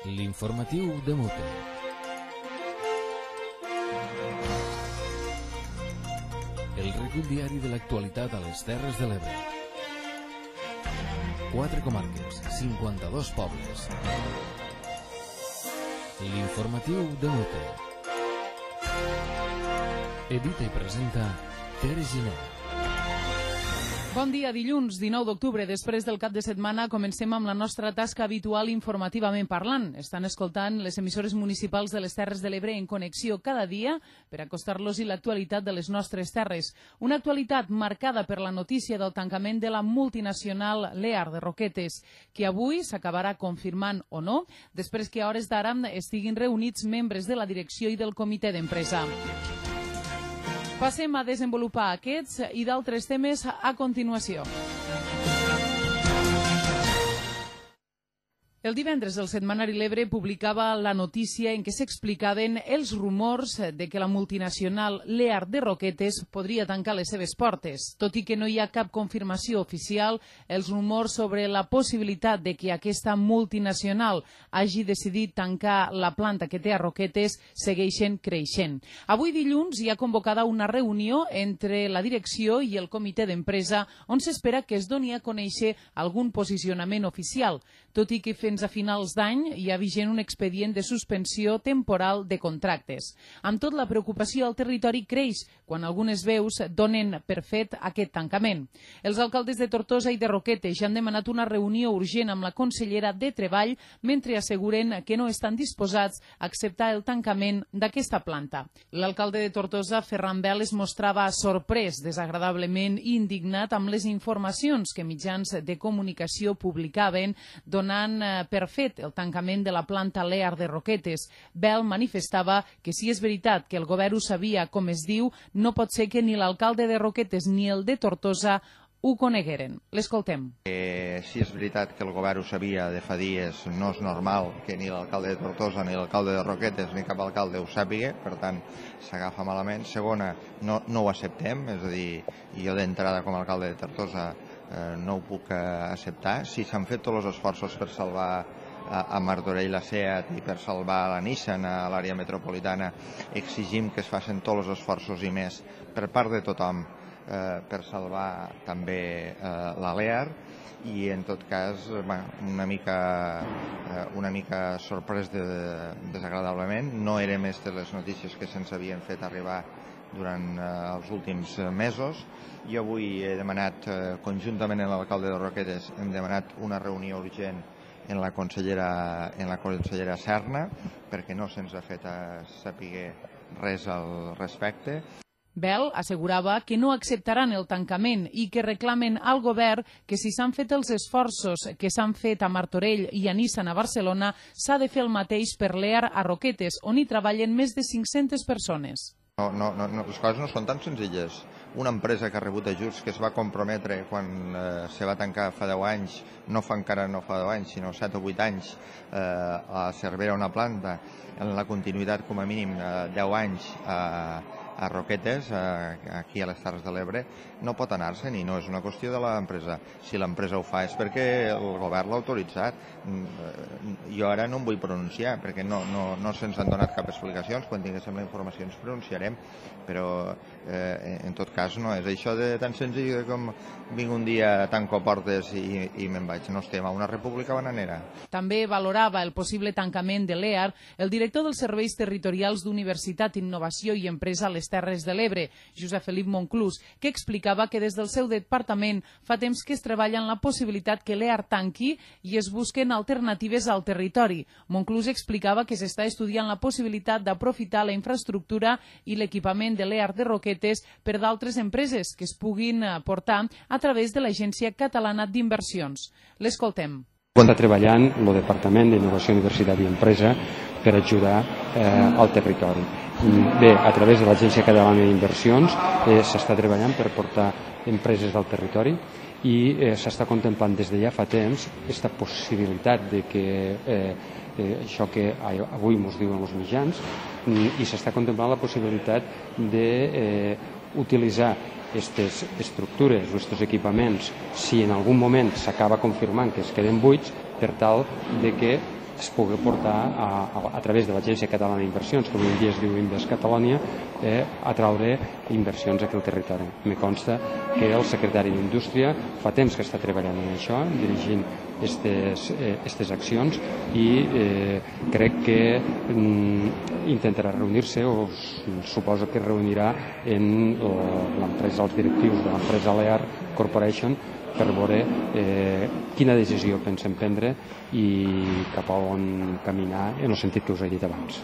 L'informatiu de Mote. El recull diari de l'actualitat a les Terres de l'Ebre. 4 comarques, 52 pobles. L'informatiu de Mote. Edita i presenta Tere Giner. Bon dia, dilluns 19 d'octubre. Després del cap de setmana comencem amb la nostra tasca habitual informativament parlant. Estan escoltant les emissores municipals de les Terres de l'Ebre en connexió cada dia per acostar-los-hi l'actualitat de les nostres terres. Una actualitat marcada per la notícia del tancament de la multinacional Lear de Roquetes, que avui s'acabarà confirmant o no, després que a hores d'ara estiguin reunits membres de la direcció i del comitè d'empresa. Passem a desenvolupar aquests i d'altres temes a continuació. El divendres el setmanari L'Ebre publicava la notícia en què s'explicaven els rumors de que la multinacional Lear de Roquetes podria tancar les seves portes. Tot i que no hi ha cap confirmació oficial, els rumors sobre la possibilitat de que aquesta multinacional hagi decidit tancar la planta que té a Roquetes segueixen creixent. Avui dilluns hi ha convocada una reunió entre la direcció i el comitè d'empresa on s'espera que es doni a conèixer algun posicionament oficial, tot i que fins a finals d'any hi ha vigent un expedient de suspensió temporal de contractes. Amb tot, la preocupació al territori creix quan algunes veus donen per fet aquest tancament. Els alcaldes de Tortosa i de Roquetes ja han demanat una reunió urgent amb la consellera de Treball mentre asseguren que no estan disposats a acceptar el tancament d'aquesta planta. L'alcalde de Tortosa, Ferran Bel, es mostrava sorprès, desagradablement indignat amb les informacions que mitjans de comunicació publicaven donant per fet el tancament de la planta Lear de Roquetes. Bel manifestava que si és veritat que el govern ho sabia com es diu, no pot ser que ni l'alcalde de Roquetes ni el de Tortosa ho conegueren. L'escoltem. Si és veritat que el govern ho sabia de fa dies, no és normal que ni l'alcalde de Tortosa ni l'alcalde de Roquetes ni cap alcalde ho sàpiga, per tant s'agafa malament. Segona, no ho acceptem, és a dir, jo d'entrada com a alcalde de Tortosa no ho puc acceptar. Si s'han fet tots els esforços per salvar a Martorell la SEAT i per salvar la Nissan a l'àrea metropolitana, exigim que es facin tots els esforços i més per part de tothom per salvar també la Lear. I en tot cas una mica sorprès desagradablement. No era més de les notícies que se'ns havien fet arribar durant els últims mesos. Jo avui he demanat conjuntament amb l'alcalde de Roquetes, hem demanat una reunió urgent en la consellera Serna perquè no se'ns ha fet saber res al respecte. Bel assegurava que no acceptaran el tancament i que reclamen al govern que si s'han fet els esforços que s'han fet a Martorell i a Nissan a Barcelona, s'ha de fer el mateix per Lear a Roquetes, on hi treballen més de 500 persones. No, les coses no són tan senzilles. Una empresa que ha rebut ajuts, que es va comprometre quan se va tancar fa 10 anys, no fa 10 anys, sinó 7 o 8 anys, a Cervera una planta, en la continuïtat com a mínim 10 anys a Roquetes, aquí a les Terres de l'Ebre, no pot anar-se'n i no és una qüestió de l'empresa. Si l'empresa ho fa és perquè el govern l'ha autoritzat. Jo ara no em vull pronunciar perquè no se'ns han donat cap explicacions. Quan tinguéssim la informació ens pronunciarem, però en tot cas no és això de tan senzill com vinc un dia, tanco portes i me'n vaig. No estem a una república bananera. També valorava el possible tancament de Lear el director dels Serveis Territorials d'Universitat, Innovació i Empresa a les Terres de l'Ebre, Josep Felip Monclús, que explicava que des del seu departament fa temps que es treballa en la possibilitat que Lear tanqui i es busquen alternatives al territori. Monclús explicava que s'està estudiant la possibilitat d'aprofitar la infraestructura i l'equipament de Lear de Roquetes per d'altres empreses que es puguin portar a través de l'Agència Catalana d'Inversions. L'escoltem. Està treballant el Departament d'Innovació, Universitat i Empresa per ajudar al territori. Bé, a través de l'Agència Catalana d'Inversions s'està treballant per portar empreses del territori i s'està contemplant des de ja fa temps aquesta possibilitat de que això que avui ens diuen els mitjans, i s'està contemplant la possibilitat d'utilitzar aquestes estructures o aquests equipaments, si en algun moment s'acaba confirmant que es queden buits, per tal de que es pugui portar a través de l'Agència Catalana d'Inversions, que avui en dia es diu Invest Catalonia, a traure inversions aquí al territori. Me consta que el secretari d'Indústria fa temps que està treballant en això, dirigint aquestes accions, i crec que intentarà reunir-se, o suposo que reunirà en l'empresa, els directius de l'empresa Lear Corporation, per veure quina decisió pensem prendre i cap a on caminar en el sentit que us he dit abans.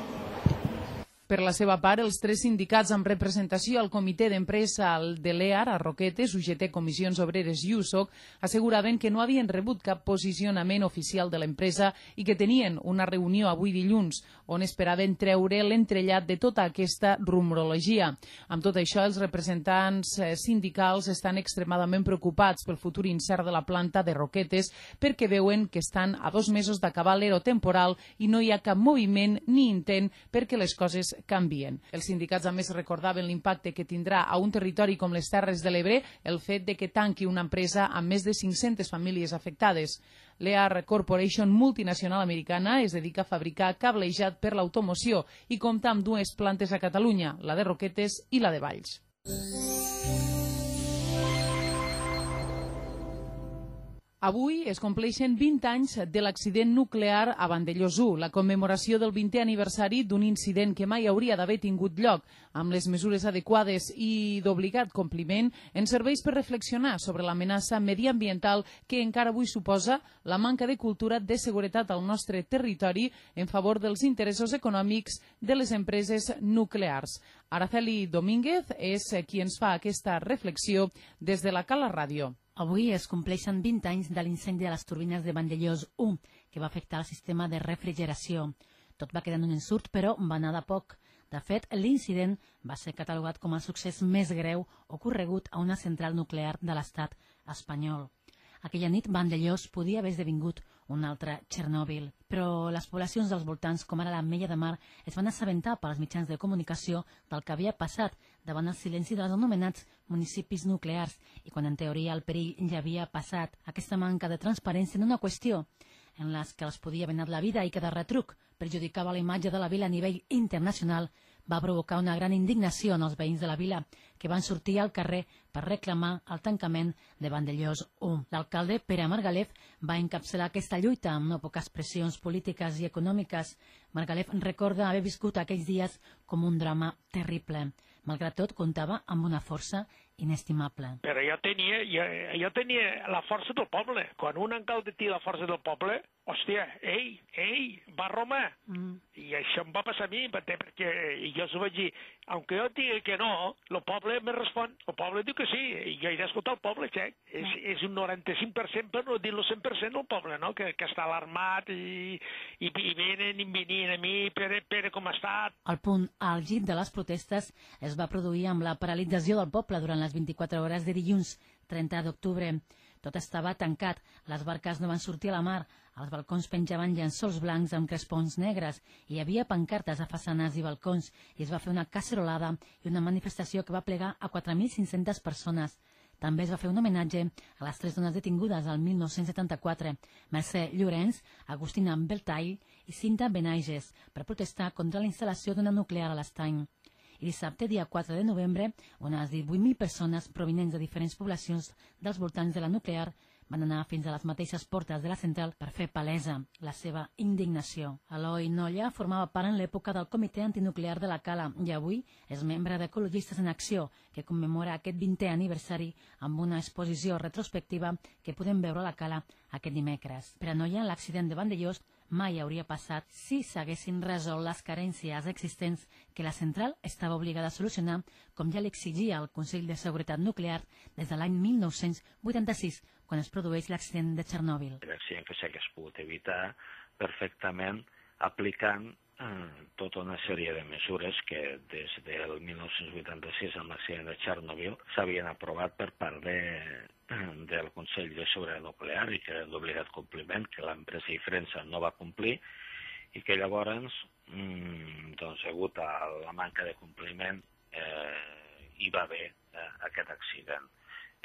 Per la seva part, els 3 sindicats amb representació al comitè d'empresa de l'EAR, a Roquetes, UGT, Comissions Obreres i USOC, asseguraven que no havien rebut cap posicionament oficial de l'empresa i que tenien una reunió avui dilluns on esperaven treure l'entrellat de tota aquesta rumorologia. Amb tot això, els representants sindicals estan extremadament preocupats pel futur incert de la planta de Roquetes perquè veuen que estan a 2 mesos d'acabar l'ero temporal i no hi ha cap moviment ni intent perquè les coses canvien. Els sindicats a més recordaven l'impacte que tindrà a un territori com les Terres de l'Ebre el fet de que tanqui una empresa amb més de 500 famílies afectades. L'EAR Corporation, multinacional americana, es dedica a fabricar cablejat per l'automoció i compta amb 2 plantes a Catalunya, la de Roquetes i la de Valls. Avui es compleixen 20 anys de l'accident nuclear a Vandellòs 1, la commemoració del 20è aniversari d'un incident que mai hauria d'haver tingut lloc. Amb les mesures adequades i d'obligat compliment, ens serveix per reflexionar sobre l'amenaça mediambiental que encara avui suposa la manca de cultura de seguretat al nostre territori en favor dels interessos econòmics de les empreses nuclears. Araceli Domínguez és qui ens fa aquesta reflexió des de la Cala Ràdio. Avui es compleixen 20 anys de l'incendi de les turbines de Vandellòs 1, que va afectar el sistema de refrigeració. Tot va quedar en un ensurt, però va anar de poc. De fet, l'incident va ser catalogat com el succés més greu ocorregut a una central nuclear de l'estat espanyol. Aquella nit, Vandellòs podia haver esdevingut un altre Txernòbil, però les poblacions dels voltants, com ara l'Ametlla de Mar, es van assabentar pels mitjans de comunicació del que havia passat davant el silenci dels anomenats municipis nuclears i quan en teoria el perill ja havia passat. Aquesta manca de transparència en una qüestió en les que els podia haver anat la vida i que de retruc perjudicava la imatge de la vila a nivell internacional va provocar una gran indignació en els veïns de la vila, que van sortir al carrer per reclamar el tancament de Vandellòs 1. L'alcalde, Pere Margalef, va encapçalar aquesta lluita amb no poques pressions polítiques i econòmiques. Margalef recorda haver viscut aquells dies com un drama terrible. Malgrat tot, comptava amb una força inestimable. Però jo tenia la força del poble. Quan un alcalde té la força del poble, hòstia, va a Roma. I això em va passar a mi, perquè jo s'ho vaig dir, aunque jo digui que no, el poble me respon, el poble diu que sí, i jo he d'escoltar el poble, xec. És un 95%, per no dir-lo 100% el poble, no? Que està alarmat i venien a mi, Pere, com està? El punt àlgid de les protestes es va produir amb la paralització del poble durant les 24 hores de dilluns, 30 d'octubre. Tot estava tancat, les barques no van sortir a la mar, els balcons penjaven llençols blancs amb crespons negres, hi havia pancartes a façanes i balcons, i es va fer una cacerolada i una manifestació que va plegar a 4.500 persones. També es va fer un homenatge a les 3 dones detingudes al 1974, Mercè Llorenç, Agustina Beltall i Cinta Benaiges, per protestar contra la instal·lació d'una nuclear a l'Estany. I dissabte, dia 4 de novembre, unes 18.000 persones provinents de diferents poblacions dels voltants de la nuclear van anar fins a les mateixes portes de la central per fer palesa la seva indignació. Eloi Nolla formava part en l'època del Comitè Antinuclear de la Cala i avui és membre d'Ecologistes en Acció, que commemora aquest 20è aniversari amb una exposició retrospectiva que podem veure a la Cala aquest dimecres. Per a Nolla, l'accident de Vandellòs mai hauria passat si s'haguessin resolt les carències existents que la central estava obligada a solucionar, com ja l'exigia el Consell de Seguretat Nuclear des de l'any 1986, quan es produeix l'accident de Txernòbil. L'accident que s'hagués pogut evitar perfectament aplicant tota una sèrie de mesures que des del 1986 amb l'accident de Txernòbil s'havien aprovat per part del Consell de Seguretat Nuclear i que eren d'obligat compliment, que l'empresa Ifrensa no va complir i que llavors, degut a la manca de compliment, hi va haver aquest accident.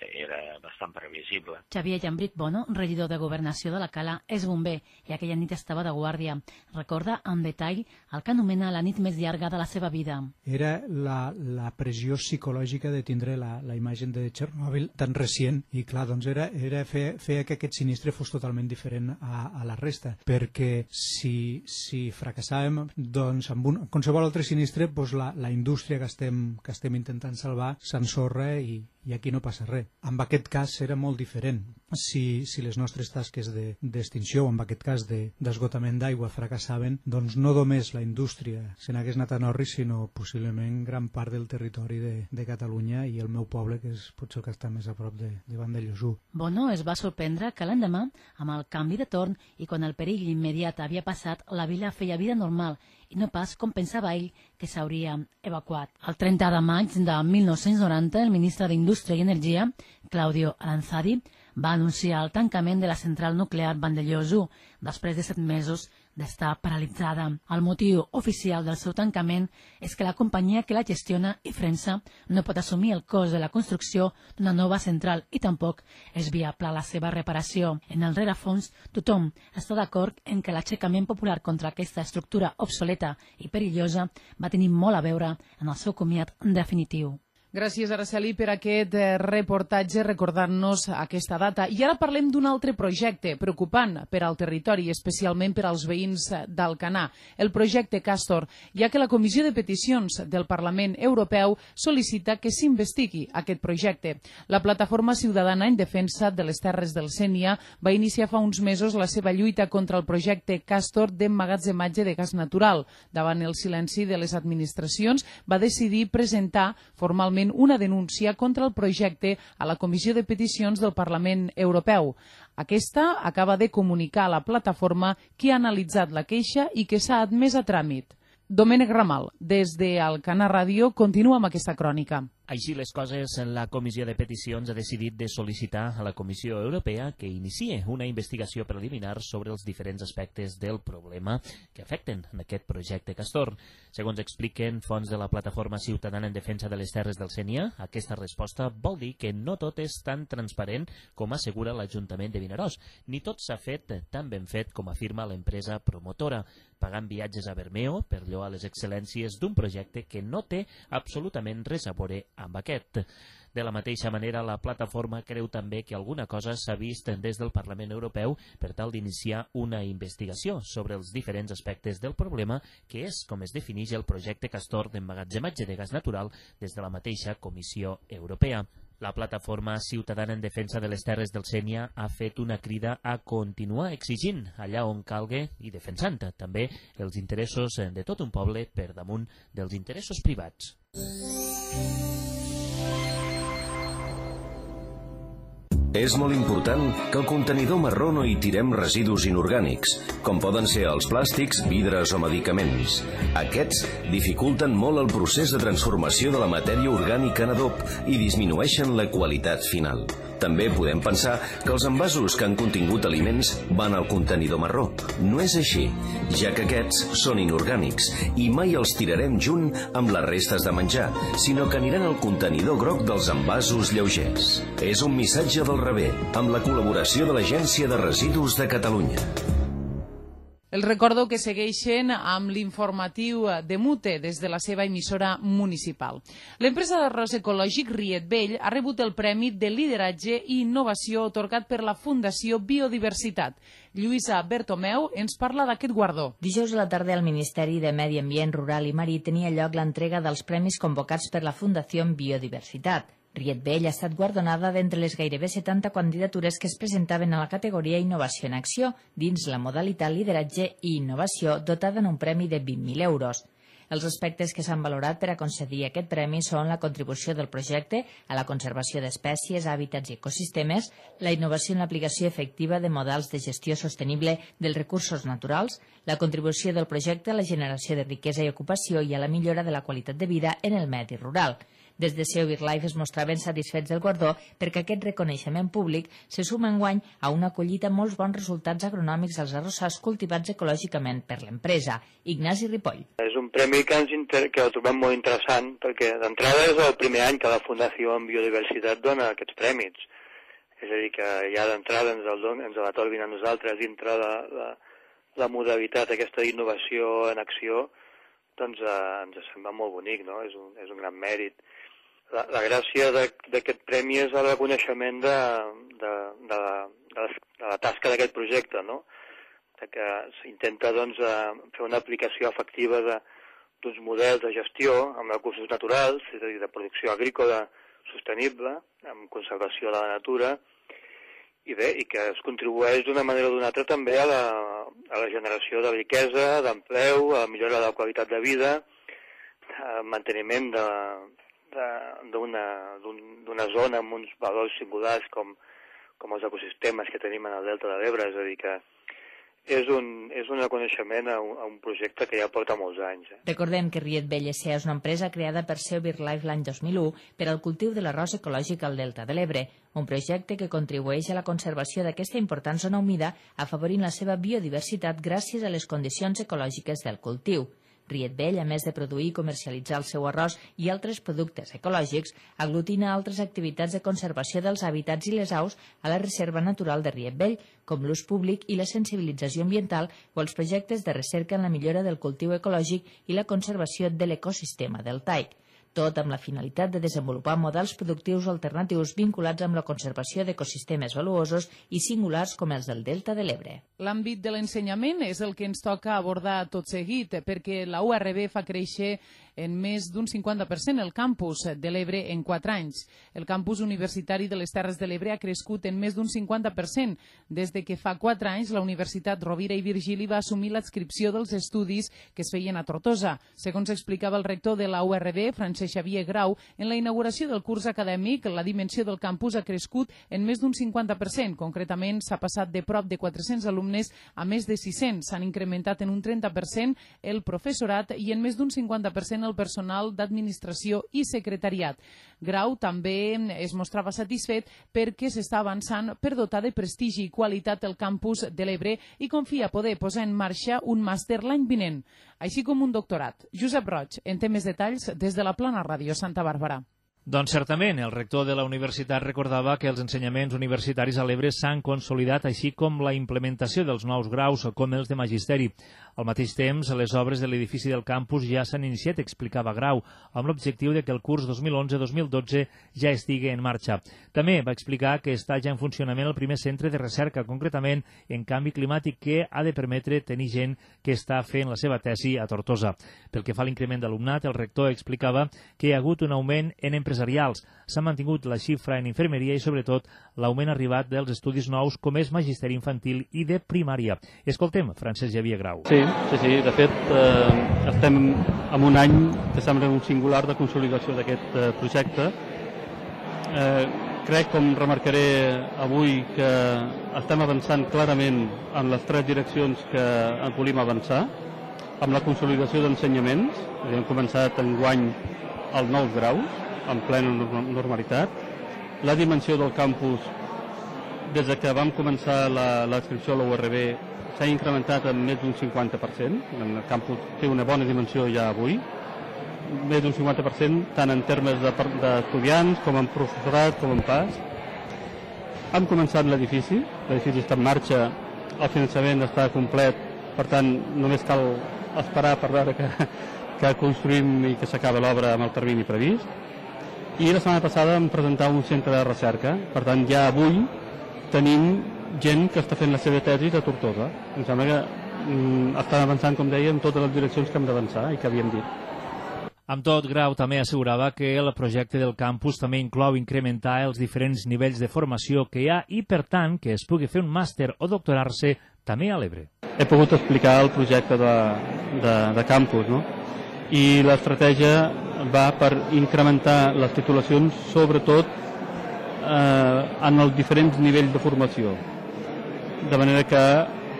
era bastant previsible. Xavier Llambrit Bono, regidor de Governació de la Cala, és bomber i aquella nit estava de guàrdia. Recorda en detall el que anomena la nit més llarga de la seva vida. Era la pressió psicològica de tindre la imatge de Txernòbil tan recient i clar, doncs era fer que aquest sinistre fos totalment diferent a la resta, perquè si fracassàvem, doncs amb qualsevol altre sinistre doncs la indústria que estem intentant salvar s'ensorra i aquí no passa res. En aquest cas era molt diferent. Si les nostres tasques d'extinció o en aquest cas d'esgotament d'aigua fracassaven, doncs no només la indústria se n'hagués anat a Norris, sinó possiblement gran part del territori de Catalunya i el meu poble, que és potser el que està més a prop de Vandellòs. Bono es va sorprendre que l'endemà, amb el canvi de torn i quan el perill immediat havia passat, la vila feia vida normal i no pas com pensava ell que s'hauria evacuat. El 30 de maig de 1990, el ministre d'Indústria i Energia, Claudio Aranzadi, va anunciar el tancament de la central nuclear Vandellòs 1 després de 7 mesos d'estar paralitzada. El motiu oficial del seu tancament és que la companyia que la gestiona, Ifrensa, no pot assumir el cost de la construcció d'una nova central i tampoc és viable la seva reparació. En el rerefons, tothom està d'acord en que l'aixecament popular contra aquesta estructura obsoleta i perillosa va tenir molt a veure en el seu comiat definitiu. Gràcies, Araceli, per aquest reportatge recordant-nos aquesta data. I ara parlem d'un altre projecte preocupant per al territori, especialment per als veïns d'Alcanar, el projecte Castor, ja que la Comissió de Peticions del Parlament Europeu sol·licita que s'investigui aquest projecte. La Plataforma Ciutadana en Defensa de les Terres del Sénia va iniciar fa uns mesos la seva lluita contra el projecte Castor d'emmagatzematge de gas natural. Davant el silenci de les administracions, va decidir presentar formalment una denúncia contra el projecte a la Comissió de Peticions del Parlament Europeu. Aquesta acaba de comunicar a la plataforma que ha analitzat la queixa i que s'ha admès a tràmit. Domènec Ramal, des d'Alcanar Ràdio, continua amb aquesta crònica. Així les coses, la Comissió de Peticions ha decidit de sol·licitar a la Comissió Europea que inicie una investigació preliminar sobre els diferents aspectes del problema que afecten en aquest projecte Castor. Segons expliquen fonts de la Plataforma Ciutadana en Defensa de les Terres del Sénia, aquesta resposta vol dir que no tot és tan transparent com assegura l'Ajuntament de Vinaròs, ni tot s'ha fet tan ben fet com afirma l'empresa promotora, pagant viatges a Bermeo per lloar les excel·lències d'un projecte que no té absolutament res a veure amb aquest. De la mateixa manera, la plataforma creu també que alguna cosa s'ha vist des del Parlament Europeu per tal d'iniciar una investigació sobre els diferents aspectes del problema, que és com es defineix el projecte Castor d'emmagatzematge de gas natural des de la mateixa Comissió Europea. La Plataforma Ciutadana en Defensa de les Terres del Sénia ha fet una crida a continuar exigint allà on calgue i defensant també els interessos de tot un poble per damunt dels interessos privats. És molt important que al contenidor marró no hi tirem residus inorgànics, com poden ser els plàstics, vidres o medicaments. Aquests dificulten molt el procés de transformació de la matèria orgànica en adob i disminueixen la qualitat final. També podem pensar que els envasos que han contingut aliments van al contenidor marró. No és així, ja que aquests són inorgànics i mai els tirarem junt amb les restes de menjar, sinó que aniran al contenidor groc dels envasos lleugers. És un missatge del rebé, amb la col·laboració de l'Agència de Residus de Catalunya. Els recordo que segueixen amb l'informatiu de Mute des de la seva emissora municipal. L'empresa d'arròs ecològic Riet Vell ha rebut el Premi de Lideratge i Innovació atorgat per la Fundació Biodiversitat. Lluïsa Bertomeu ens parla d'aquest guardó. Dijous a la tarda al Ministeri de Medi Ambient Rural i Marí tenia lloc l'entrega dels premis convocats per la Fundació Biodiversitat. Riet Vell ha estat guardonada d'entre les gairebé 70 candidatures que es presentaven a la categoria Innovació en Acció, dins la modalitat Lideratge i Innovació, dotada en un premi de 20.000 euros. Els aspectes que s'han valorat per a concedir aquest premi són la contribució del projecte a la conservació d'espècies, hàbitats i ecosistemes, la innovació en l'aplicació efectiva de models de gestió sostenible dels recursos naturals, la contribució del projecte a la generació de riquesa i ocupació i a la millora de la qualitat de vida en el medi rural. Des de CEO BirdLife es mostraven satisfets del guardó perquè aquest reconeixement públic se suma enguany a una collita molts bons resultats agronòmics als arrossars cultivats ecològicament per l'empresa. Ignasi Ripoll. És un premi que el trobem molt interessant perquè d'entrada és el primer any que la Fundació en Biodiversitat dona aquests prèmits. És a dir, que ja d'entrada ens l'atorguin a nosaltres dintre la modalitat aquesta d'innovació en acció, doncs ens sembla molt bonic, no? És un gran mèrit. La gràcia d'aquest premi és el reconeixement de la tasca d'aquest projecte, no? Que s'intenta fer una aplicació efectiva d'uns models de gestió amb recursos naturals, és a dir, de producció agrícola sostenible, amb conservació de la natura, i que es contribueix d'una manera o d'una altra també a la generació de riquesa, d'empleu, a la millora de la qualitat de vida, al manteniment d'una zona amb uns valors singulars com els ecosistemes que tenim en el Delta de l'Ebre, és a dir que és un reconeixement a un projecte que ja porta molts anys. Recordem que Riet Vell S.A. és una empresa creada per CEO BirdLife l'any 2001 per al cultiu de l'arròs ecològic al Delta de l'Ebre, un projecte que contribueix a la conservació d'aquesta important zona humida afavorint la seva biodiversitat gràcies a les condicions ecològiques del cultiu. Riet Vell, a més de produir i comercialitzar el seu arròs i altres productes ecològics, aglutina altres activitats de conservació dels hàbitats i les aus a la Reserva Natural de Riet Vell, com l'ús públic i la sensibilització ambiental o els projectes de recerca en la millora del cultiu ecològic i la conservació de l'ecosistema deltaic. Tot amb la finalitat de desenvolupar models productius alternatius vinculats amb la conservació d'ecosistemes valuosos i singulars com els del Delta de l'Ebre. L'àmbit de l'ensenyament és el que ens toca abordar tot seguit, perquè la URB fa créixer en més d'un 50% el campus de l'Ebre en 4 anys. El campus universitari de les Terres de l'Ebre ha crescut en més d'un 50%. Des de que fa 4 anys, la Universitat Rovira i Virgili va assumir l'adscripció dels estudis que es feien a Tortosa. Segons explicava el rector de la URB, Francesc Xavier Grau, en la inauguració del curs acadèmic, la dimensió del campus ha crescut en més d'un 50%. Concretament, s'ha passat de prop de 400 alumnes a més de 600. S'han incrementat en un 30% el professorat i en més d'un 50% el personal d'administració i secretariat. Grau també es mostrava satisfet perquè s'està avançant per dotar de prestigi i qualitat el campus de l'Ebre i confia poder posar en marxa un màster l'any vinent, així com un doctorat. Josep Roig, en té més detalls des de la Plana Ràdio Santa Bàrbara. Doncs certament, el rector de la universitat recordava que els ensenyaments universitaris a l'Ebre s'han consolidat, així com la implementació dels nous graus com els de magisteri. Al mateix temps, les obres de l'edifici del campus ja s'han iniciat, explicava Grau, amb l'objectiu de que el curs 2011-2012 ja estigui en marxa. També va explicar que està ja en funcionament el primer centre de recerca, concretament en canvi climàtic, que ha de permetre tenir gent que està fent la seva tesi a Tortosa. Pel que fa a l'increment d'alumnat, el rector explicava que hi ha hagut un augment en empresarials, s'ha mantingut la xifra en infermeria i, sobretot, l'augment arribat dels estudis nous com és magisteri infantil i de primària. Escoltem Francesc Xavier Grau. Sí. De fet, estem en un any que sembla un singular de consolidació d'aquest projecte. Crec, com remarcaré avui, que estem avançant clarament en les 3 direccions que volíem avançar, amb la consolidació d'ensenyaments. Hem començat enguany els nous graus, en plena normalitat. La dimensió del campus, des que vam començar l'adscripció a la URB, s'ha incrementat en més d'un 50%. El campus té una bona dimensió ja avui, més d'un 50%, tant en termes d'estudiants com en professorat, com en pas. Hem començat l'edifici està en marxa, el finançament està complet, per tant només cal esperar per veure que construïm i que s'acaba l'obra amb el termini previst. I la setmana passada vam presentar un centre de recerca, per tant ja avui tenim gent que està fent la seva tesi a Tortosa. Em sembla que estan avançant, com deia, en totes les direccions que hem d'avançar i que havíem dit. Amb tot, Grau també assegurava que el projecte del campus també inclou incrementar els diferents nivells de formació que hi ha i, per tant, que es pugui fer un màster o doctorar-se també a l'Ebre. He pogut explicar el projecte de campus, no? I l'estratègia va per incrementar les titulacions, sobretot en els diferents nivells de formació, de manera que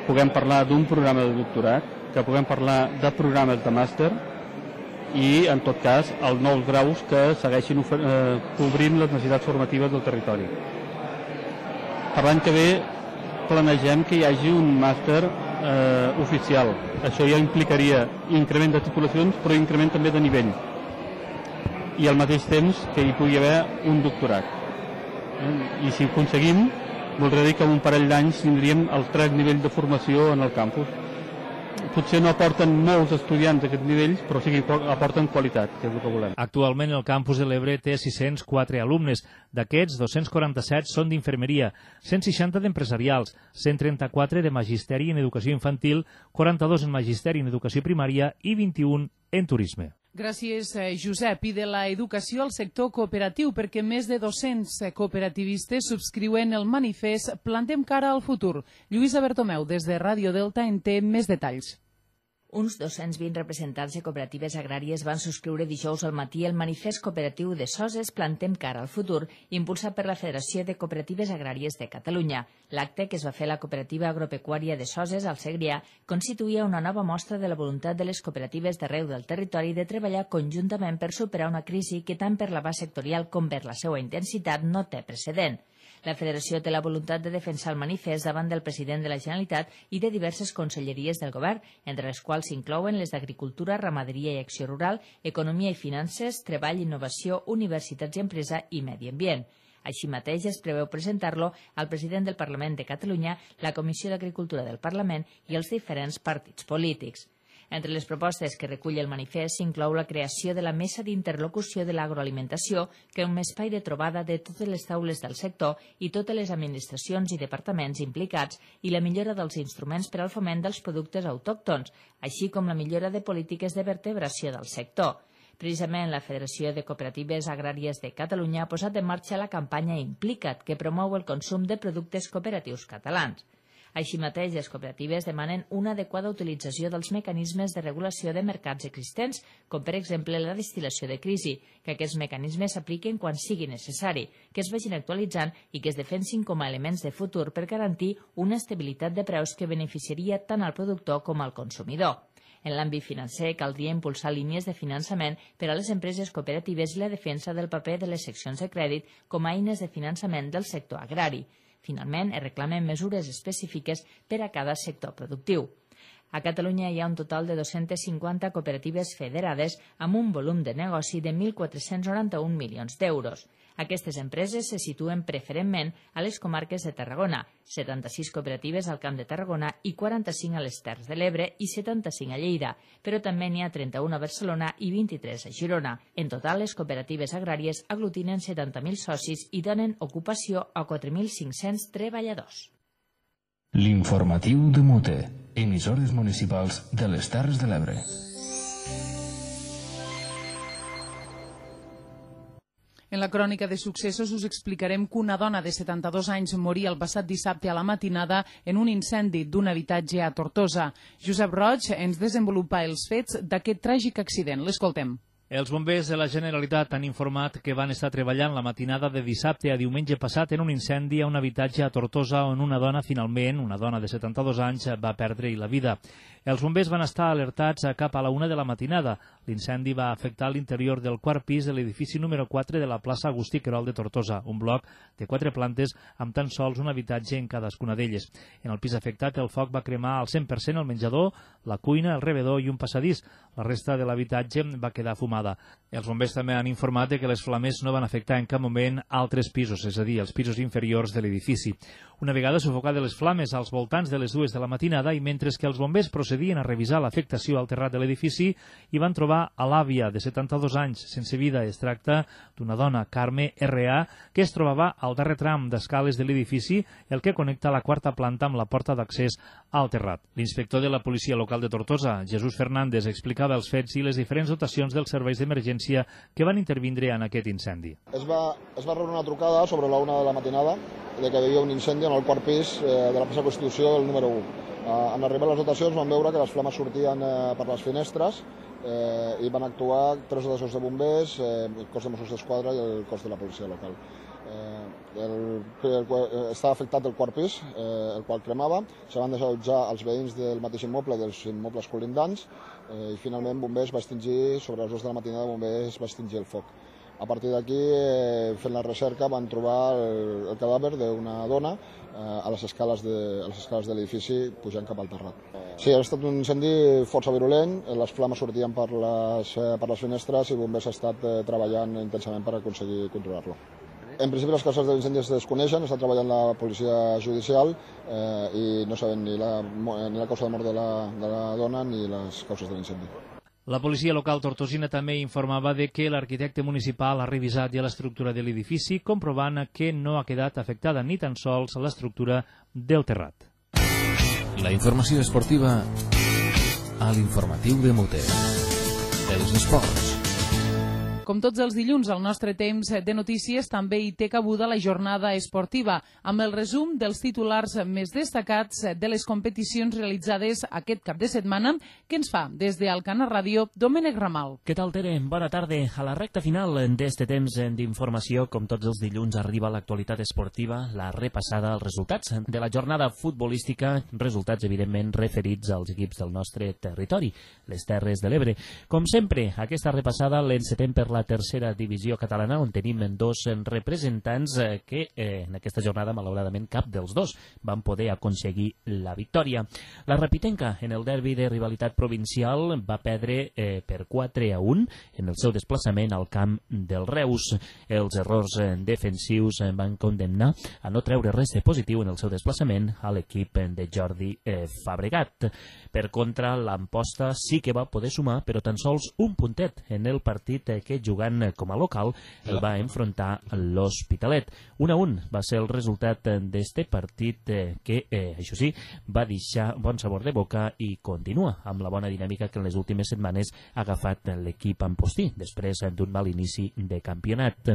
puguem parlar d'un programa de doctorat, que puguem parlar de programes de màster i, en tot cas, els nous graus que segueixin cobrint les necessitats formatives del territori. Per l'any que ve planegem que hi hagi un màster oficial. Això ja implicaria increment de titulacions, però increment també de nivell. I al mateix temps que hi pugui haver un doctorat. I si ho aconseguim, voldrà dir que en un parell d'anys tindríem el 3 nivell de formació en el campus. Potser no aporten molts estudiants a aquests nivells, però sí que aporten qualitat, que és el que volem. Actualment el campus de l'Ebre té 604 alumnes. D'aquests, 247 són d'infermeria, 160 d'empresarials, 134 de magisteri en educació infantil, 42 en magisteri en educació primària i 21 en turisme. Gràcies, Josep. I de l'educació al sector cooperatiu, perquè més de 200 cooperativistes subscriuen el manifest Plantem cara al futur. Lluïsa Bertomeu, des de Ràdio Delta, en té més detalls. Uns 220 representants de cooperatives agràries van subscriure dijous al matí el manifest cooperatiu de Soses Plantem cara al futur, impulsat per la Federació de Cooperatives Agràries de Catalunya. L'acte, que es va fer a la cooperativa agropecuària de Soses, al Segrià, constituïa una nova mostra de la voluntat de les cooperatives d'arreu del territori de treballar conjuntament per superar una crisi que tant per l'abast sectorial com per la seva intensitat no té precedent. La Federació té la voluntat de defensar el manifest davant del president de la Generalitat i de diverses conselleries del govern, entre les quals s'inclouen les d'Agricultura, Ramaderia i Acció Rural, Economia i Finances, Treball, Innovació, Universitats i Empresa i Medi Ambient. Així mateix es preveu presentar-lo al president del Parlament de Catalunya, la Comissió d'Agricultura del Parlament i els diferents partits polítics. Entre les propostes que recull el manifest s'inclou la creació de la Mesa d'Interlocució de l'Agroalimentació, que és un espai de trobada de totes les taules del sector i totes les administracions i departaments implicats i la millora dels instruments per al foment dels productes autòctons, així com la millora de polítiques de vertebració del sector. Precisament la Federació de Cooperatives Agràries de Catalunya ha posat en marxa la campanya Implica't, que promou el consum de productes cooperatius catalans. Així mateix, les cooperatives demanen una adequada utilització dels mecanismes de regulació de mercats existents, com per exemple la destil·lació de crisi, que aquests mecanismes s'apliquen quan sigui necessari, que es vagin actualitzant i que es defensin com a elements de futur per garantir una estabilitat de preus que beneficiaria tant al productor com al consumidor. En l'àmbit financer, caldria impulsar línies de finançament per a les empreses cooperatives i la defensa del paper de les seccions de crèdit com a eines de finançament del sector agrari. Finalment, es reclamen mesures específiques per a cada sector productiu. A Catalunya hi ha un total de 250 cooperatives federades amb un volum de negoci de 1.491 milions d'euros. Aquestes empreses se situen preferentment a les comarques de Tarragona, 76 cooperatives al Camp de Tarragona i 45 a les Terres de l'Ebre i 75 a Lleida, però també n'hi ha 31 a Barcelona i 23 a Girona. En total, les cooperatives agràries aglutinen 70.000 socis i donen ocupació a 4.500 treballadors. L'informatiu de Mute, emissores municipals de les Terres de l'Ebre. En la crònica de successos us explicarem que una dona de 72 anys moria el passat dissabte a la matinada en un incendi d'un habitatge a Tortosa. Josep Roig ens desenvolupa els fets d'aquest tràgic accident. L'escoltem. Els bombers de la Generalitat han informat que van estar treballant la matinada de dissabte a diumenge passat en un incendi a un habitatge a Tortosa on una dona, finalment, una dona de 72 anys, va perdre la vida. Els bombers van estar alertats cap a la 1 de la matinada. L'incendi va afectar l'interior del quart pis de l'edifici número 4 de la plaça Agustí Querol de Tortosa, un bloc de 4 plantes amb tan sols un habitatge en cadascuna d'elles. En el pis afectat, el foc va cremar al 100% el menjador, la cuina, el rebedor i un passadís. La resta de l'habitatge va quedar fumada. Els bombers també han informat que les flames no van afectar en cap moment altres pisos, és a dir, els pisos inferiors de l'edifici. Una vegada sufocades les flames als voltants de les 2 de la matinada i mentre que els bombers procedien a revisar l'afectació al terrat de l'edifici, hi van trobar a l'àvia de 72 anys sense vida. Es tracta d'una dona, Carme R.A., que es trobava al darrer tram d'escales de l'edifici, el que connecta la quarta planta amb la porta d'accés al terrat. L'inspector de la policia local de Tortosa, Jesús Fernández, explicava els fets i les diferents dotacions dels serveis d'emergència que van intervindre en aquest incendi. Es va rebre una trucada sobre la 1 de la matinada de que hi havia un incendi en el quart pis de la plaça Constitució del número 1. En arribar les dotacions van veure que les flames sortien per les finestres i van actuar 3 dotacions de bombers, el cos de Mossos d'Esquadra i el cos de la policia local. Està afectat el quart pis, el qual cremava. Se van desallotjar els veïns del mateix immoble, dels immobles colindants, i finalment bombers va extingir, sobre les 2 de la matinada, bombers va extingir el foc. A partir d'aquí, fent la recerca, van trobar el cadàver d'una dona a les escales de l'edifici pujant cap al terrat. Sí, ha estat un incendi força virulent, les flames sortien per les finestres i bombers ha estat treballant intensament per aconseguir controlar-lo. En principi les causes de l'incendi es desconeixen, està treballant la policia judicial i no sabem ni la causa de mort de la dona ni les causes de l'incendi. La policia local tortosina també informava de que l'arquitecte municipal ha revisat ja l'estructura de l'edifici, comprovant que no ha quedat afectada ni tan sols l'estructura del terrat. La informació esportiva a l'informatiu de Mute. Els esports. Com tots els dilluns, al nostre temps de notícies també hi té cabuda la jornada esportiva, amb el resum dels titulars més destacats de les competicions realitzades aquest cap de setmana, que ens fa des d'Alcanar Ràdio, Domènec Ramal. Què tal, Tere? Bona tarda. A la recta final d'este temps d'informació, com tots els dilluns, arriba l'actualitat esportiva, la repassada als resultats de la jornada futbolística, resultats, evidentment, referits als equips del nostre territori, les Terres de l'Ebre. Com sempre, aquesta repassada l'encetem per la tercera divisió catalana, on tenim 2 representants que en aquesta jornada, malauradament, cap dels 2 van poder aconseguir la victòria. La Rapitenca, en el derbi de rivalitat provincial, va perdre per 4-1 en el seu desplaçament al camp del Reus. Els errors defensius van condemnar a no treure res de positiu en el seu desplaçament a l'equip de Jordi Fabregat. Per contra, l'Amposta sí que va poder sumar, però tan sols un puntet en el partit que jugant com a local el va enfrontar l'Hospitalet. 1-1 va ser el resultat d'este partit que, això sí, va deixar bon sabor de boca i continua amb la bona dinàmica que en les últimes setmanes ha agafat l'equip ampostí, després d'un mal inici de campionat.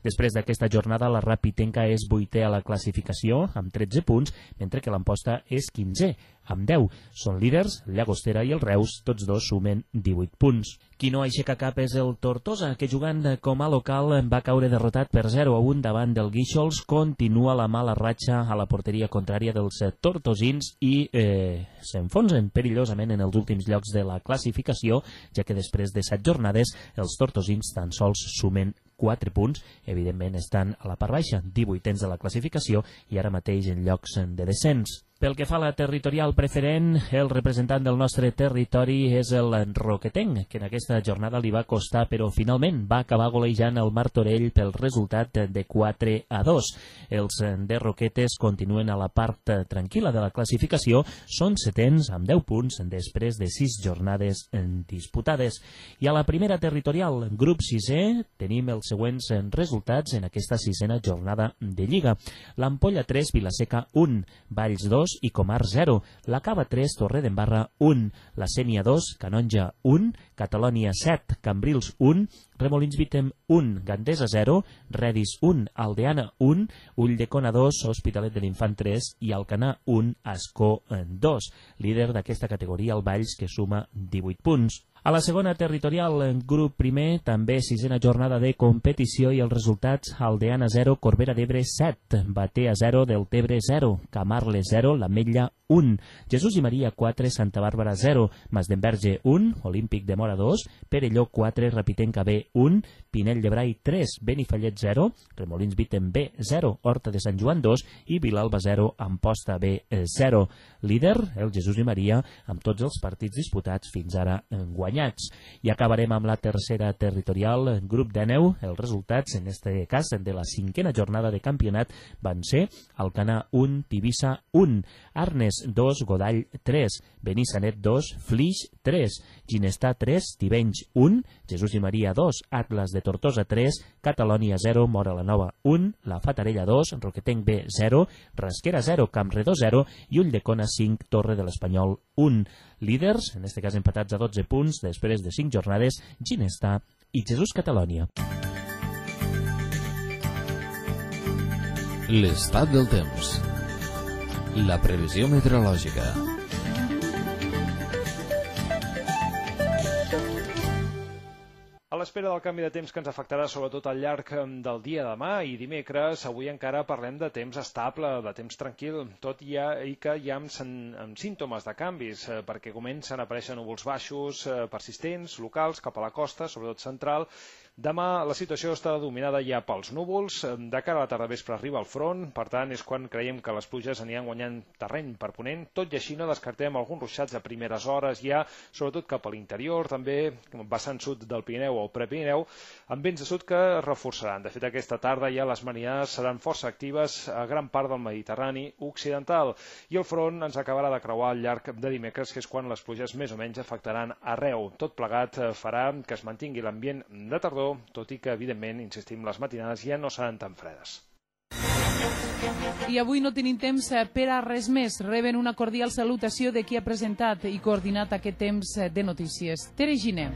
Després d'aquesta jornada, la Rapitenca és 8è a la classificació amb 13 punts, mentre que l'Amposta és 15è amb 10. Són líders, Llagostera i el Reus, tots dos sumen 18 punts. Qui no aixeca cap és el Tortosa, que jugant com a local va caure derrotat per 0-1 davant del Guíxols. Continua la mala ratxa a la porteria contrària dels tortosins i s'enfonsen perillosament en els últims llocs de la classificació, ja que després de 7 jornades els tortosins tan sols sumen 4 punts, evidentment estan a la part baixa, 18ens de la classificació i ara mateix en llocs de descens. Pel que fa a la territorial preferent, el representant del nostre territori és el Roquetenc, que en aquesta jornada li va costar, però finalment va acabar golejant el Martorell pel resultat de 4-2. Els de Roquetes continuen a la part tranquil·la de la classificació, són 7ens amb 10 punts després de 6 jornades disputades. I a la primera territorial, grup 6è, tenim els següents resultats en aquesta 6a jornada de Lliga. L'Ampolla 3, Vilaseca 1, Valls 2, i Comar 0, la Cava 3, Torredembarra 1, la Sénia 2, Canonja 1, Catalònia 7, Cambrils 1, Remolins Vitem 1, Gandesa 0, Redis 1, Aldeana 1, Ulldecona 2, Hospitalet de l'Infant 3 i Alcanar 1, Ascó 2. Líder d'aquesta categoria el Valls, que suma 18 punts. A la segona territorial, grup primer, també 6a jornada de competició i els resultats: Aldeana 0, Corbera d'Ebre 7, Batea 0, Deltebre 0, Camarles 0, l'Ametlla 1, Jesús i Maria 4, Santa Bàrbara 0, Masdenverge 1, Olímpic de Mora 2, Perelló 4, Rapitenca B 1, Pinell de Brai 3, Benifallet 0, Remolins Vitem B 0, Horta de Sant Joan 2 i Vilalba 0, Amposta B 0. Líder, el Jesús i Maria, amb tots els partits disputats fins ara guanyats. I acabarem amb la tercera territorial, grup de 9. Els resultats, en este cas, de la 5a jornada de campionat van ser Alcanar 1, Tivissa 1, Arnes 2, Godall 3, Benissanet 2, Flix 3, Ginestà 3, Tivenys 1, Jesús i Maria 2, Atlas de Tortosa 3, Catalònia 0, Mora la Nova 1, La Fatarella 2, Roquetenc B 0, Rasquera 0, Campredó 0 i Ulldecona 5, Torre de l'Espanyol 1. Líders, en este cas empatats a 12 punts, després de 5 jornades, Ginestà i Jesús Catalònia. L'estat del temps. La previsió meteorològica. A l'espera del canvi de temps que ens afectarà sobretot al llarg del dia de demà i dimecres, avui encara parlem de temps estable, de temps tranquil, tot i que hi ha amb símptomes de canvis, perquè comencen a aparèixer núvols baixos persistents, locals, cap a la costa, sobretot central. Demà la situació està dominada ja pels núvols, de cara a la tarda vespre arriba el front, per tant és quan creiem que les pluges aniran guanyant terreny per ponent, tot i així no descartem alguns ruixats a primeres hores ja, sobretot cap a l'interior, també vessant sud del Pirineu o Prepirineu, amb vents de sud que es reforçaran. De fet, aquesta tarda ja les marinades seran força actives a gran part del Mediterrani occidental i el front ens acabarà de creuar al llarg de dimecres, que és quan les pluges més o menys afectaran arreu. Tot plegat farà que es mantingui l'ambient de tardor, tot i que, evidentment, insistim, les matinades ja no seran tan fredes. I avui no tenim temps per a res més. Reben una cordial salutació de qui ha presentat i coordinat aquest temps de notícies. Tere Giner.